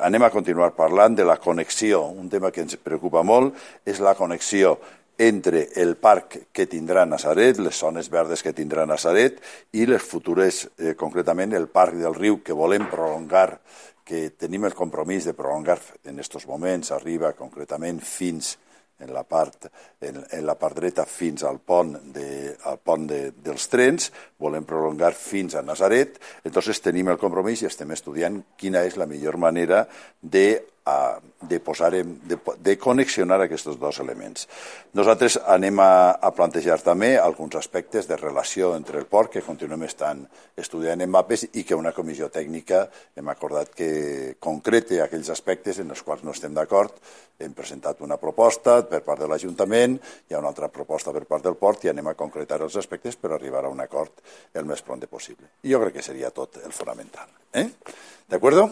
anem a continuar parlant de la connexió. Un tema que ens preocupa molt és la connexió entre el parc que tindrà Natzaret, les zones verdes que tindrà Natzaret i les futures, concretament el parc del riu que volem prolongar, que tenim el compromís de prolongar en aquests moments, arriba concretament fins en la part dreta fins al pont dels trens, volem prolongar fins a Natzaret, entonces tenim el compromís i estem estudiant quina és la millor manera de connexionar aquests dos elements. Nosaltres anem a plantejar també alguns aspectes de relació entre el port que continuem estudiant en mapes i que una comissió tècnica hem acordat que concrete aquells aspectes en els quals no estem d'acord. Hem presentat una proposta per part de l'Ajuntament, hi ha una altra proposta per part del port i anem a concretar els aspectes per arribar a un acord el més pront possible. I jo crec que seria tot el fonamental. ¿De acuerdo?